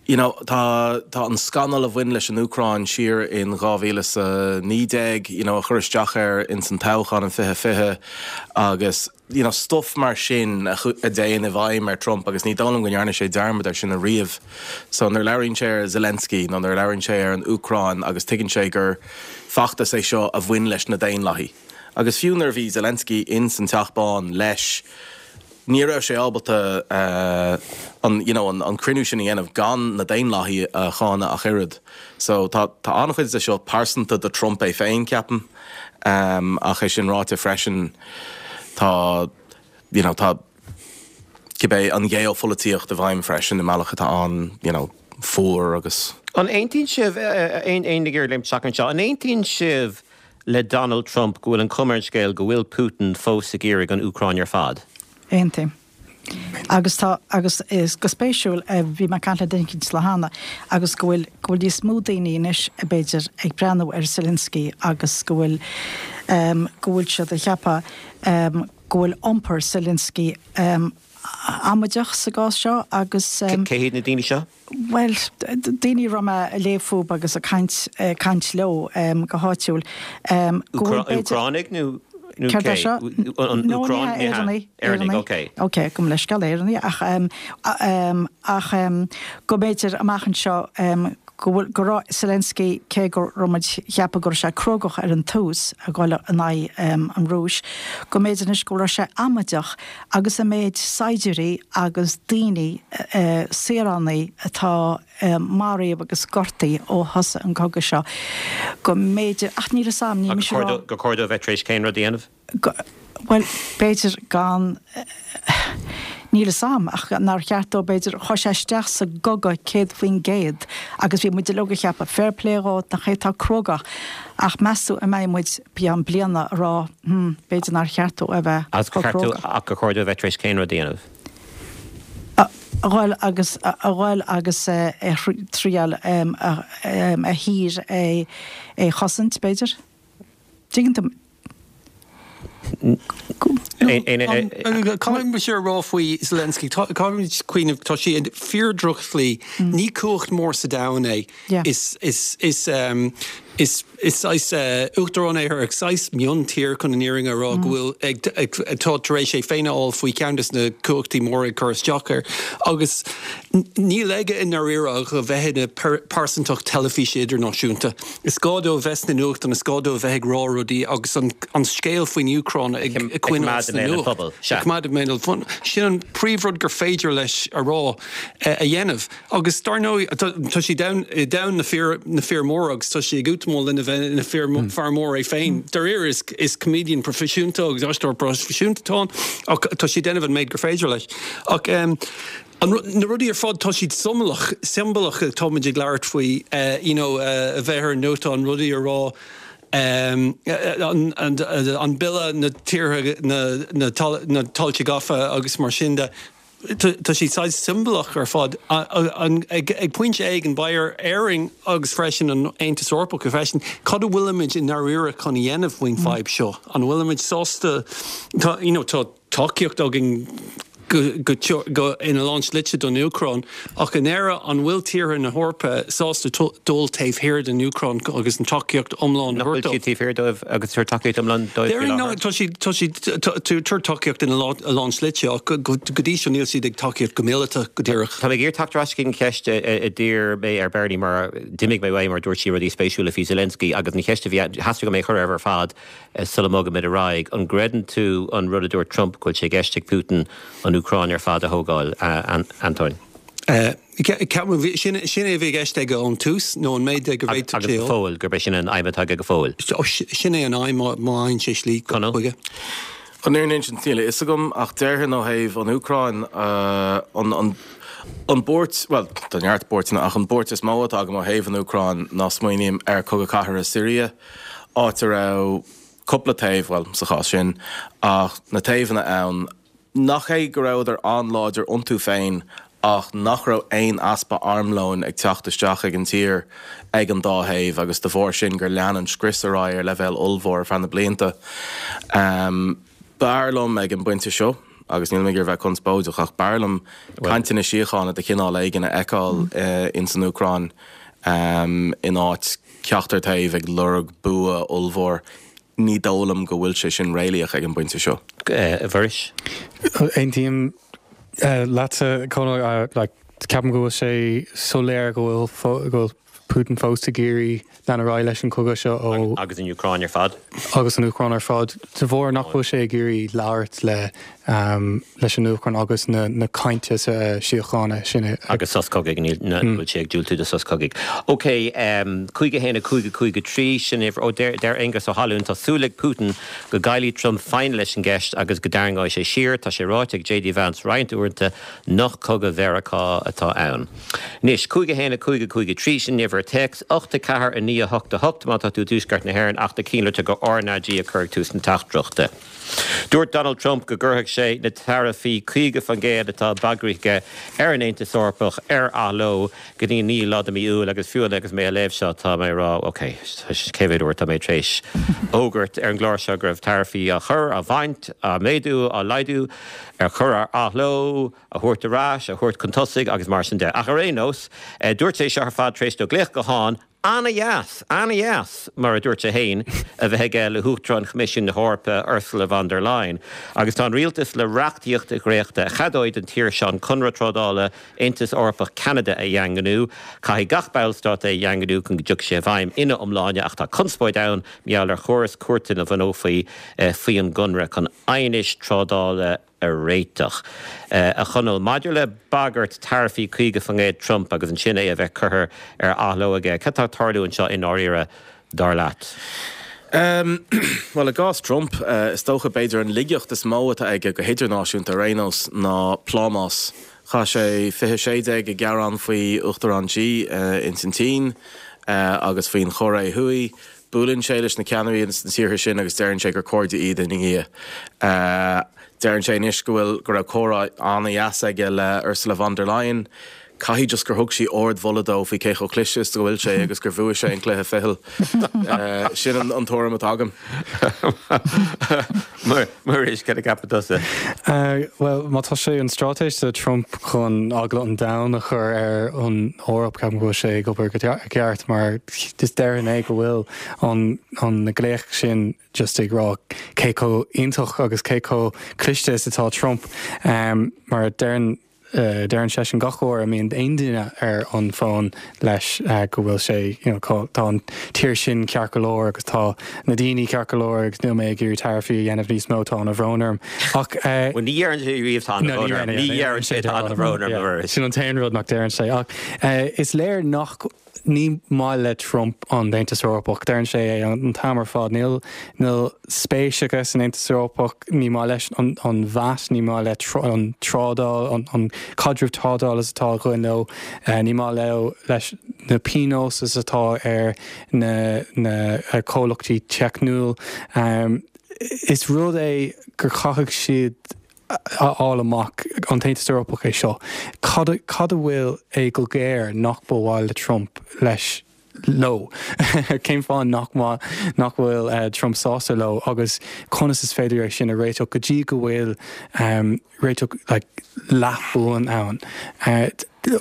You know, tá, tá an scannal a bhain leis an Úcráin siar in dhá mhíle is a naoi déag, you know, a chuir isteach air ins an toghchán in fiche fiche agus, you know, stuff mar sin a dtéann i bhfeidhm ar Trump agus ní dóigh liom go ndearna sé dearmad air sin ariamh. So nuair a labhraíonn sé ar Zelensky nó nuair a labhraíonn sé ar an Úcráin agus tuigeann sé gur feachtas é seo a bhain leis na Daonlathaigh. Agus fiú nuair a bhí Zelensky ins an Teach Bán leis, Ní raibh sé ábalta an, you know, an cruinniú sin a dhéanamh gan na Daonlathaigh a cháineadh ach oiread. So tá, tá an-chuid de seo pearsanta do Trump é féin, ceapaim. Ach é sin ráite freisin, tá, you know, tá cibé an gheopholaitíocht i bhfeidhm freisin i mbealach atá an, you know, fuar agus. An aontaíonn sibh, aon duine ag iarraidh léimt isteach anseo, an aontaíonn sibh le Donald Trump go bhfuil an chuma ar an scéal go bhfuil Putin fós ag iarraidh an Úcráin ar fad? Aontaím. Agus tá, agus is go spéisiúil, bhí mé ag caint le duine éicint cheana agus go bhfuil, go bhfuil níos mó daoine anois b'fhéidir ag breathnú ar Zelensky agus go bhfuil, go bhfuil siad ag ceapadh go bhfuil iompar Zelensky amaideach sa gcás seo agus. Cé hiad na daoine seo? Bhuel, daoine a raibh mé ag léamh fúthu agus ag caint, caint leo go háitiúil, go bhfuil b'fhéidir. Úcránaigh nó nó Céard cé? é seo? An No, ní Úcráin? hea, Ní hea. Éireannaigh, Éireannaigh, Éireannaigh. ok. Ok, gabh mo leithscéal, Éireannaigh, ach ach go mb'fhéidir amach anseo go bhfuil, go raibh Zelensky, cé go raibh muid ag ceapadh go raibh sé crógach ar an tús ag dul in aghaidh an Rúis, go mb'fhéidir anois go raibh sé amaideach agus an méid saighdiúirí agus daoine, saoránaigh atá maraithe agus gortaithe ó thosaigh an cogadh seo, go mb'fhéidir, ach níl 'fhios a'm, níl mise ag rá. Gur chóir dó a bheith tar éis cén rud a dhéanamh? Bhuel, b'fhéidir gan, níl 'fhios a'm, ach nár cheart dó, b'fhéidir, chuaigh sé isteach sa gcogadh céad faoin gcéad agus bhí muid uilig ag ceapadh, fair play dhó, nach é atá crógach, ach meas tú an mbeidh muid i gceann bliana ag rá, hmm, b'fhéidir nár cheart dó a bheith chomh crógach. Ach gur chóir dó a bheith tar éis cén rud a dhéanamh? A dhul agus, a dhul agus a thriail a thír a chosaint, b'fhéidir. Tuigeann tú? Caithfidh mise a rá faoi Zelensky, caithfimid cuimhneamh, tá sé i fíor-dhrochshlí, ní cumhacht mór sa domhan é. Is, is, is, Is is saghas uachtarán é ar saghas miontír chun an fhírinne a rá go bhfuil ag atá tar éis é féin a fháil faoi cheann des na cumhachtaí móra ag cur isteach air agus níl aige i ndáiríre ach a bheith ina pearsantacht teilifíse idirnáisiúnta. Is gá dó a bheith sna nuachtáin, is gá dó a bheith ag rá rudaí agus an an scéal faoin Úcráin ag coinneáil sna nuacht. Ag coimeád i mbéal an phobail. Sin an príomhrud gur féidir leis a rá a dhéanamh. Agus dar ndóigh tá sé i domhan na fir na fir móra agus tá sé ag útamáil lena bheith ina fear fear mór é féin. Dáiríre is is comedian proifisiúnta agus aisteoir proifisiúnta atá ann ach tá sé ag déanamh an méid gur féidir leis. Ach um, an, na rudaí ar fad tá siad siombalach siombalach táimid ag labhairt faoi uh, you know, uh, a bheith ar an nuachtán rudaí a rá um, an, an, an bille na tíortha na, na, na tailte gafa agus mar sin de. Tá siad saghas siombalach ar fad ag ag pointe éigin beidh ar Éirinn agus freisin an Aontas Eorpach freisin cad a bhfuilimid i ndáiríre chun a dhéanamh faoin fadhb seo an bhfuilimid sásta tá you know, tá tacaíocht againn go, go, go ina lán slite don Úcráin ach in Éire an bhfuil tíortha na hEorpa sásta dul taobh thiar den Úcráin agus an tacaíocht iomlán Nach bhfuil siad taobh thiar dóibh agus tabhairt tacaíocht iomlán dóibh faoi láthair? Tá siad tá siad tabhairt tacaíocht ina lán slite ach go dtí seo níl siad ag tacaíocht go míleata go díreach. Tá mé ag iarraidh teacht ar ais chuig an cheist a d'iarr mé ar Bernie mar d'imigh mé uaidh mar dúirt sí rudaí spéisiúla faoi Zelensky agus an cheist a bhí theastaigh go mé chur air ar fad sula mbogaimid ar aghaidh. An gcreideann tú an rud a dúirt Trump go bhfuil sé i gceist ag Putin an Úcráin ar fad a thógáil, Antóin? Sin sin é a bhí i gceist aige ón tús nó an méid go bhféadfadh sé. Agus go fóill, gurb é sin an aidhm atá aige go fóill. Sin é an aidhm má fhaigheann sé slí chuige. An fhírinne a insint níl a fhios agam ach déarfainn ó thaobh an Úcráin an an buairt, bhuel tá neart buairteanna ach an buairt is mó atá agam ó thaobh an Úcráin ná smaoiním ar Cogadh Cathartha Siria, áit a raibh cúpla taobh, bhuel sa chás sin ach na taobhanna ann, Nach é go rabhadar an-láidir iontu féin ach nach raibh aon easpa armlóin ag teacht isteach ag an tír ag an dá thaobh agus de bharr sin gur lean an scrios ar aghaidh ar leibhéal ollmhór ar feadh na blianta. B'fhearr liom ag an bpointe seo, agus níl mé ag iarraidh bheith conspóideach, ach b'fhearr liom cainteanna síochána de chineál éigin a fheiceáil ins an Úcráin in áit ceachtar taobh ag lorg bua ollmhór. Ní dóigh liom go bhfuil sé sin réalaíoch ag an bpointe seo. A Mhuiris? Aontaím leatsa, Conall. Ceapaim go bhfuil sé soiléir go bhfuil go bhfuil Putin fós ag iarraidh lean ar aghaidh leis an chogadh seo ó Agus an Úcráin ar fad. Agus an Úcráin ar fad. De bharr nach bhfuil sé ag iarraidh labhairt le leis an Úcráin agus na na cainte síochána sin a. Agus sos cogaidh, níl, nach bhfuil sé ag diúltú do sos cogaidh. Ok, cúig a haon a cúig a cúig a trí, sin uimhir, ó deir, deir Aengus Ó hAlúin, tá súil ag Putin go gcaillfidh Trump foighne leis an gceist agus go dtarraingeoidh sé siar. Tá sé ráite ag JD Vance roinnt uaireanta nach cogadh Mheiriceá atá ann. Anois, cúig a haon a cúig a cúig a trí, sin uimhir téacs, ocht a ceathair a naoi a hocht a hocht má tá tú i dtuaisceart na hÉireann ach na cinnlitreacha RnaG a chur ag tús na teachtaireachta. Dúirt Donald Trump go gcuirfeadh sé na taraifí caoga faoin gcéad atá bagraithe aige ar an Aontas Eorpach ar athló go dtí an naoú lá de mhí Iúil agus fiú agus mé ag léamh seo tá mé ag rá ok, cé mhéad uair atá mé tar éis fhógairt ar an gclár seo go raibh taraifí á chur, á bhaint, á méadú, á laghdú, ar chur ar athló, a thabhairt ar ais, a thabhairt chun tosaigh agus mar sin de. Ach ar aon nós, dúirt sé seo ar fad tar éis dó glaoch gutháin Ana-dheas, ana-dheas, mar a dúirt sé féin, a bheith aige le hUachtarán Choimisiún na hEorpa, Ursula von der Leyen. Agus tá an rialtas le reachtaíocht a dhréachtadh a cheadóidh don tír seo an Conradh Trádála Aontas Eorpach-Ceanada a dhaingniú. Caithfidh gach ballstát é a dhaingniú chun go dtiocfaidh sé i bhfeidhm ina iomláine ach tá conspóid ann mar gheall ar chóras cúirte a bhunófaí faoi an gconradh chun aighnis trádála a réiteach. A Chonaill, maidir le bagairt taraifí caoga faoin gcéad Trump agus ansin é a bheith curtha ar athló aige, cad tá ag tarlú anseo i ndáiríre, dar leat? Bhuel, i gcás Trump, is dócha b'fhéidir an laigeacht is mó atá aige go hidirnáisiúnta ar aon nós ná plámás. Chaith sé fiche sé déag ag gearán faoi Uachtarán Xi ins an tSín agus faoin Chóiré Thuaidh. Buaileann sé leis na ceannairí ins na tíortha sin agus deireann sé gur cairde iad ina dhiaidh. Deireann sé anois go bhfuil, go raibh comhrá an-dheas aige le Ursula von der Leyen. Caithfidh just gur thug sí ardmholadh dó faoi cé chomh cliste is go bhfuil sé agus gur bhuaigh sé an cluiche ficheall. Sin an tuairim atá agam. Muiris, cad a cheapann tusa? Bhuel, má tá sé an straitéis de Trump chun eagla an domhain a chur ar an Eoraip, ceapaim go bhfuil sé ag obair go ceart mar is déarfainn é go bhfuil an an glaoch sin just ag rá cé chomh iontach agus cé chomh cliste is atá Trump um, mar deireann uh, deireann seisean gach uair a mbíonn aon duine ar an bhfón leis uh, go bhfuil sé you know, tá an tír sin ceart go leor agus tá na daoine ceart go leor agus níl mé ag iarraidh taraifí a dhéanamh níos mó tá an-bhrón orm. Ach uh, ní deireann sé riamh tá ní deireann sé tá an-bhrón orm. Sin an t-aon rud nach deireann sé ach uh, is léir nach ní maith le Trump an Aontas Eorpach, deireann sé é an t-am ar fad níl níl spéis aige san Aontas Eorpach ní maith leis an, an VAT ní maith le an trádáil an, an caidreamh trádáil is atá againn leo uh, ní maith leo leis na pionóis is atá ar na, na uh, comhlachtaí teicniúil. Um, is rud é gur chaithfidh siad a fháil amach an tAontas Eorpach é seo. Cad cad a bhfuil é go géar nach ba mhaith le Trump leis leo. Cén fáth nach nach bhfuil uh, Trump sásta leo agus conas is féidir é sin a réiteach go dtí go bhfuil um, réiteach like, leathbhuan ann. Uh,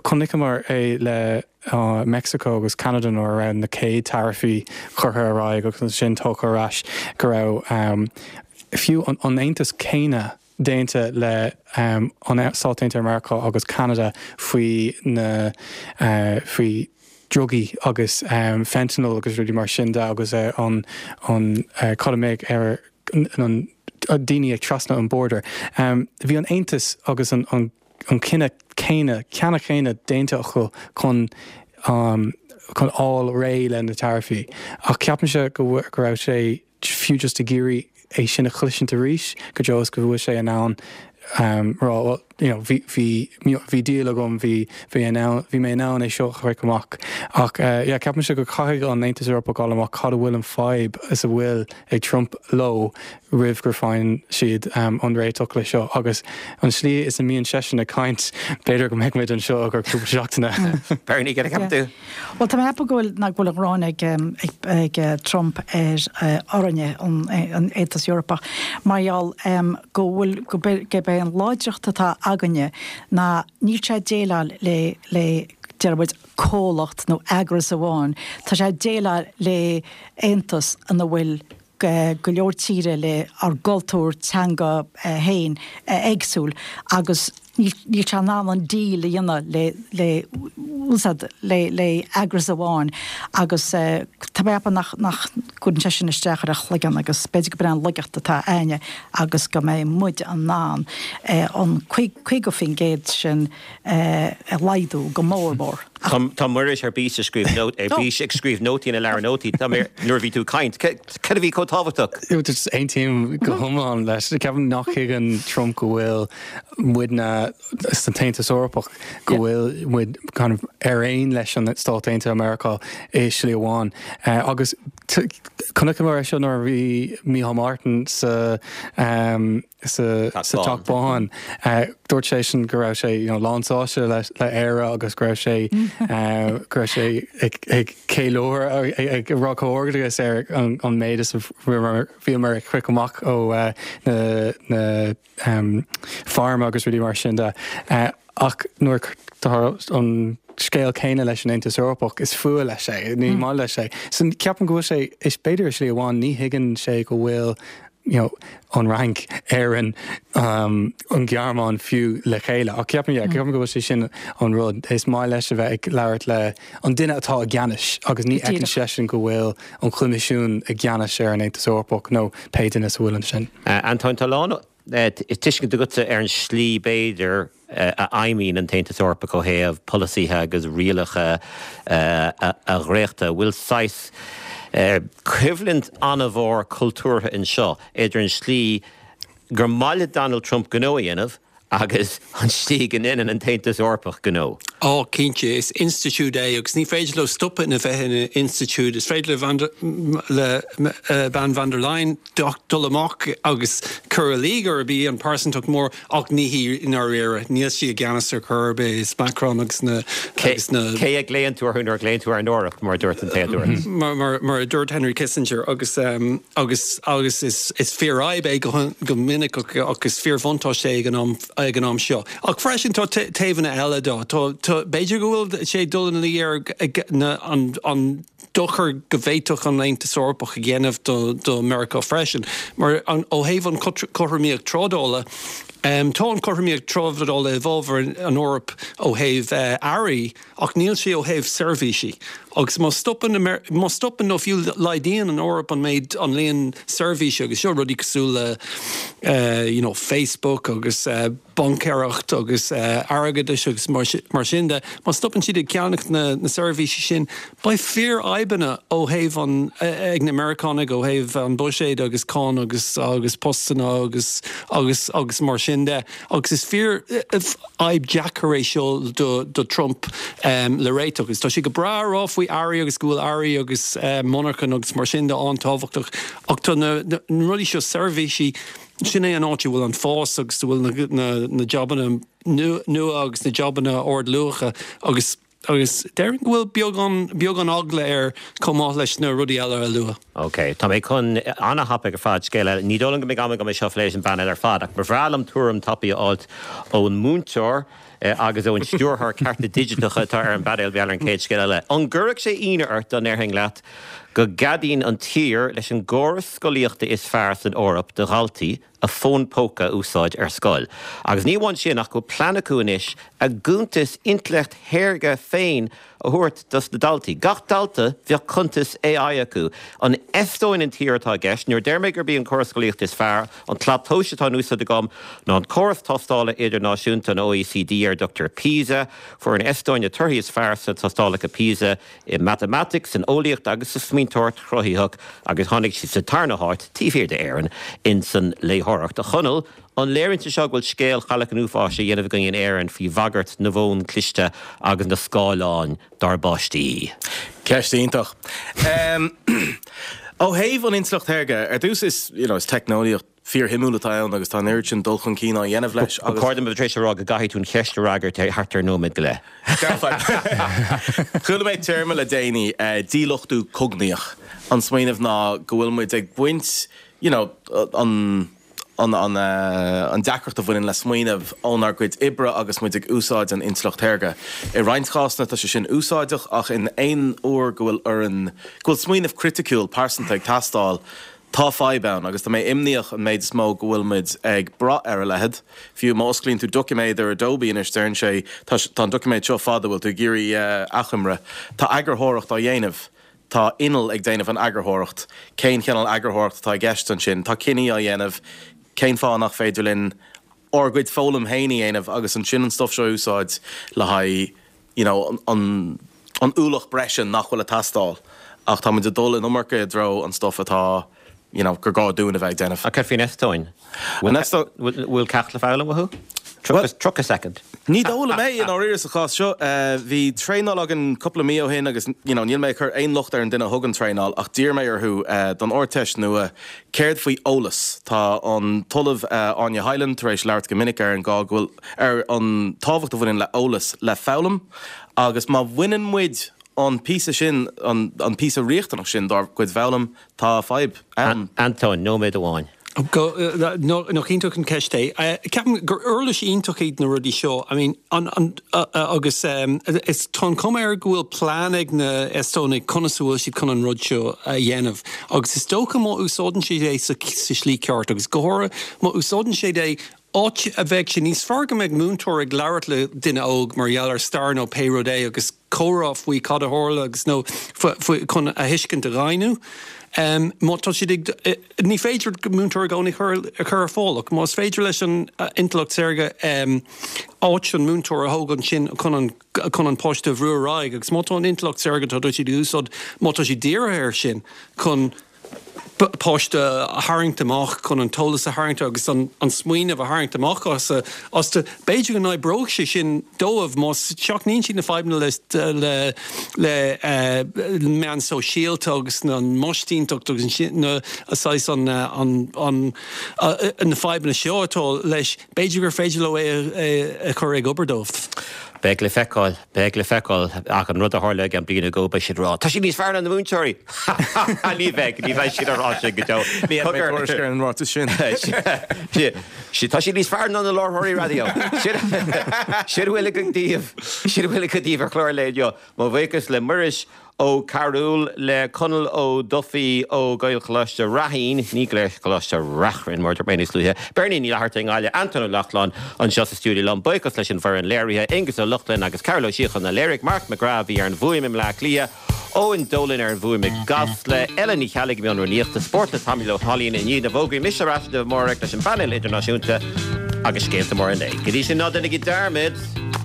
Chonaiceamar é le uh, Mexico agus Canada nuair a raibh na céad taraifí curtha ar aghaidh agus sin tógtha ar ais go raibh um, fiú an, an Aontas céanna déanta le um, an Stáit Aontaithe Meiriceá agus Canada faoi na uh, faoi drugaí agus um, fentanyl agus rudaí mar sin de agus uh, an an uh, cad méid ar an daoine ag trasna an border. Um, bhí an Aontas agus an, an, an cinneadh céanna ceanna chéanna déanta acu chun um, chun fháil réidh le na taraifí. Ach ceapaimse go go raibh sé fiú just ag iarraidh é sin a chloisint arís go deo go bhfuil sé in ann um, rá well, you know, bhí bhí deal agam bhí bhí bhí mé in ann é seo a chur amach ach uh, yeah, ceapaimse go caithfidh an Aontas Eorpach fháil amach cad a bhfuil an fadhb is a bhfuil ag Trump leo roimh gur faigheann siad um, an réiteach le seo agus an slí is a mbíonn seisean ag caint b'fhéidir go mbeidh muid anseo gur cúpla seachtaine. Bernie get tú? Well tá mé go bhfuil nach bhfuil an ghráin ag, ag, ag Trump ar uh, orainne an, an Aontas Eorpach mar gheall um, go bhfuil go gurb é an láidreacht atá againne ná níl sé déileáil le le deir comhlacht nó eagras amháin, Tá sé déileáil le aontas ina bhfuil go leor tíre le ár gcultúr teanga féin éagsúil agus níl sé in ann an deal a dhéanamh le le le le eagras amháin agus tá mé nach nach gcuireann sé sin isteach ar a chloigeann agus b'fhéidir gurb é an laigeacht atá againne agus go mbeidh muid in ann an caoga faoin gcéad sin a laghdú go mór mór. Tá Muiris ar bís ag scríobh nót ar bís ag scríobh nótaí ina leabhar nótaí Tá nuair a bhí tú ag caint. Cad a bhí chomh tábhachtach? Aontaím go hiomlán leis ceapaim nach dtuigeann Trump go bhfuil muidne san Aontas Eorpach go bhfuil muid kind of ar aon leis an Stát Aontaithe Meiriceá i slí amháin. Uh, agus chonaiceamar é seo nuair a bhí Micheál Martin sa um, sa Teach Bán. Uh, dúirt sé sin go raibh sé you know, lánsásta le, le Éire agus go raibh sé uh, go raibh sé ag, ag ceiliúradh ag rá comhghairdeas ar an, an méid is bhíomar ag croitheadh amach ó uh, na, na um, pharma agus rudaí mar sin de. Uh, ach nuair tá an scéal céanna leis an Aontas Eorpach is fuath leis é, ní mm. maith leis é. So ceapaim go bhfuil sé is b'fhéidir slí amháin ní thuigeann sé go bhfuil you know, an Fhrainc Éirinn um, an Ghearmáin fiú le chéile. Ach ceapaim mm. ceapaim go bhfuil sé sin an rud is maith leis a bheith ag labhairt le an duine atá i gceannas agus ní fheiceann seisean go bhfuil an Coimisiún i gceannas ar an Aontas Eorpach nó pé duine a bhfuil ansin. Uh, Antóin tá lán tuiscint agatsa ar an slí b'fhéidir a fheidhmíonn an tAontas Eorpach ó thaobh polasaithe agus rialacha a dhréachtú. Bhfuil saghas coimhlint an-mhór cultúrtha anseo idir an slí gur maith le Donald Trump gnó a dhéanamh agus an tslí go ndéanann an tAontas Eorpach gnó. Ó, cinnte, is institiúid é agus ní féidir leo stopadh ina bheith ina institiúid. Is féidir le le bean von der Leyen dul amach agus cur i luí gurb í an pearsantacht mór ach ní hí i ndáiríre. Níl sí i gceannas ar chor ar bith, is Macron agus na agus na Cé a ghlaonn tú orthu nuair a ghlaonn tú ar an Eoraip, mar a dúirt an té a dúirt. Mar mar mar a dúirt Henry Kissinger agus agus agus is is fíorfhadhb é go go minic ach is fíorbhuntáiste é ag an am ag an am seo. Ach freisin tá taobhanna eile dó. Tá b'fhéidir go bhfuil sé dul ina luí ar an an dochar go bhféadfadh an Aontas Eorpach a dhéanamh do do Meiriceá freisin. Mar an ó thaobh an cothromaíocht trádála, um, tá an cothromaíocht trádála i bhfabhar an Eoraip ó thaobh uh, earraí ach níl sé ó thaobh seirbhísí. Agus má stopann má stopann nó fiú laghdaíonn an Eoraip an méid an líon seirbhísí agus seo rudaí cosúil le uh, you know, Facebook agus uh, baincéireacht agus uh, airgeadais agus mar, mar sin de, má stopann siad ag ceannach na, na seirbhísí sin, beidh fíorfhadhbanna ó thaobh an ag na Meiriceánaigh ó thaobh an buiséad agus cáin agus agus postanna agus agus agus mar sin de. Agus is fíorfhadhb deacair é seo do, do Trump um, le réiteach. Agus tá sé go breá rá faoi earraí agus go bhfuil earraí agus uh, monarchan agus mar sin de an-tábhachtach ach tá na, na, na rudaí seo seirbhísí sin é an áit a bhfuil an fás agus bhfuil na, na, na jabanna nua agus na jabanna ardluacha agus agus déarfainn go bhfuil beagán beagán eagla air chomh maith leis na rudaí eile a lua. Ok, Tá mé chun an-thapaidh ar fad scéal ní dóigh go mbeidh am go mbeidh seo leis an bpainéal ar fad ach ba bhreá liom tuairim tapaidh a fháil ón múinteoir eh, agus ón stiúrthóir cearta digiteacha atá ar an bpainéal ar an chéad scéal eile. An gcuirfeadh sé ionadh ort dá ndéarfainn leat go gceadaíonn an tír leis an gcóras scolaíochta is fearr san Eoraip do dhaltaí a fón póca a úsáid ar scoil. Agus ní amháin sin ach go plean acu anois a gcuntas intleacht shaorga féin a thabhairt dos na daltaí. Gach dalta bheadh cuntas AI acu. An Eastóin an tír atá i gceist, nuair a deir mé gurb í an córas scolaíochta is fearr, an tslat tomhais atá in úsáid agam ná an córas tástála idirnáisiúnta an OECD ar a dtugtar PISA, fuair an Eastóin na torthaí is fearr sna tástálacha PISA i matamaitic, san eolaíocht agus sa smaointeoireacht chruthaitheach agus tháinig sí sa tarna háit taobh thiar d'Éirinn in san léitheoireacht. A Chonaill, an léiríonn sé seo go bhfuil scéal Chailleach an Uafáis á dhéanamh againn in Éirinn faoi bhagairt na bhfón cliste agus na scáileáin dár bpáistí. Ceist iontach. Um, ó thaobh an intleacht shaorga, ar dtús is, you know, is teicneolaíocht fíorshuimiúil atá ann agus tá an oiread sin dul chun cinn á dhéanamh leis agus. Ba chóir dom a bheith tar éis a rá go gcaithfidh tú an cheist a fhreagairt thart ar nóiméad go leith. Chuala mé téarma le déanaí, díluchtú cognaíoch. An smaoineamh ná go bhfuil muid ag baint, you know, an an an an deacracht a bhaineann le smaoineamh ónár gcuid oibre agus muid ag úsáid an intleacht shaorga. I roinnt cásanna tá sé sin úsáideach ach in aon uair go bhfuil orainn go bhfuil smaoineamh criticiúil pearsanta ag teastáil, tá fadhb ann agus tá mé imníoch an méid is mó go bhfuil muid ag brath ar a leithéid. Fiú má osclaíonn tú doiciméad ar Adobe anois deireann sé tá tá an doiciméad seo fada bhfuil tú ag iarraidh achoimre. Tá eagarthóireacht á dhéanamh. Tá inneall ag déanamh an eagarthóireacht. Cén chineál eagarthóireacht atá i gceist ansin? Tá cinní á dhéanamh. Cén fáth nach féidir linn ár gcuid foghlaim féin a dhéanamh agus ansin an stuff seo a úsáid le haghaidh you know an an ualach breise nach bhfuil ag teastáil ach tá muid ag dul in iomarca i dtreo an stuff atá you know gur gá dúinn a bheith ag déanamh. Ach cad faoin Eastóin? Bhfuil ceacht le foghlaim uathu? Tríocha soicind. Ní dóigh liom é i ndáiríre sa chás seo. Bhí traenáil againn cúpla mí ó shin agus you know níl mé ag cur aon locht ar an duine a thug an traenáil ach d'iarr mé orthu don Ardteist nua céard faoi eolas. Tá an tOllamh Áine Hyland tar éis labhairt go minic ar an gá go bhfuil ar an tábhacht a bhaineann le eolas le foghlaim agus má bhaineann muid an píosa sin an an píosa riachtanach sin dár gcuid foghlaim tá fadhb ann. Antóin, nóiméad amháin. Nach iontach an ceist é. Ceapaim gur uirlis iontach iad na rudaí seo. I mean, an, an, agus is tá an chuma air go bhfuil plean ag na Estónaigh conas a bhfuil siad chun an rud seo a dhéanamh. Agus is dócha má úsáideann siad é sa, sa slí ceart agus go háirithe má úsáideann siad é áit a bheadh sé níos fearr go mbeadh múinteoir ag labhairt le duine óg mar gheall ar stair nó pé rud é agus comhrá faoi cad a tharla agus nó faoi chun a thuiscint a dhaingniú. Má tá siad ag, ní féidir múinteoir i gcónaí a chur ar fáil ach más féidir leis an intleacht saorga áit an múinteoir a thógáil ansin chun an chun an páiste a bhrú ar aghaidh agus má tá an intleacht saorga tá siad ag úsáid má tá siad dírithe air sin chun páiste a tharraingt amach chun an t-eolas a tharraingt agus an an smaoineamh a tharraingt amach as astu. B'fhéidir go n-oibreodh sé sin dóibh má seachnaíonn siad na fadhbanna le le le meán sóisialta agus na maisínteacht agus na saghas an an an na fadhbanna seo atá leis, b'fhéidir gur féidir leo é a chur ag obair dóibh. Beidh le feiceáil, beidh le feiceáil ach an rud a tharla ag an bliain ago beidh siad ag rá, Tá siad níos fearr ná na múinteoirí! Ní bheidh, ní bheidh siad ag rá sin go deo. Ní mé tuairisc ar an ráiteas sin. Tá siad níos fearr ná na láithreoirí raidió. Sin a bhfuil againn daoibh, sin a bhfuil againn daoibh ar chlár an lae inniu. Mo bhuíochas le Muiris Ó Cearúil, le Conall Ó Dufaigh ó Ghaelcholáiste Raithín, ní Gaelcholáiste Reachrann mar a dúirt mé níos luaithe, Beirní Ní Fhlatharta i nGaillimh, Antóin Ó Lochlainn anseo sa stiúideo liom. Buíochas leis an bhfoireann léirithe, Aengus Ó Lochlainn agus Cearbhall Ó Síocháin a léirigh, Mark McGrath a bhí ar an bhfuaim i mBleá Cliath, Eoin Dolan ar an bhfuaim i gCasla, Ellen Ní Cheallaigh i mbun rúnaíochta, Spórt le Tomaí Ó hAilín i ndiaidh na bhfógraí, mise ar ais libh amárach leis an bpainéal idirnáisiúnta agus scéalta móra an lae. Go dtí sin ná déanaigí dearmad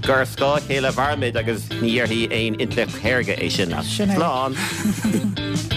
gur ar scáth a chéile a mhairimid agus ní dhéarfaidh aon intleacht shaorga é sin leat. Sin é. Slán!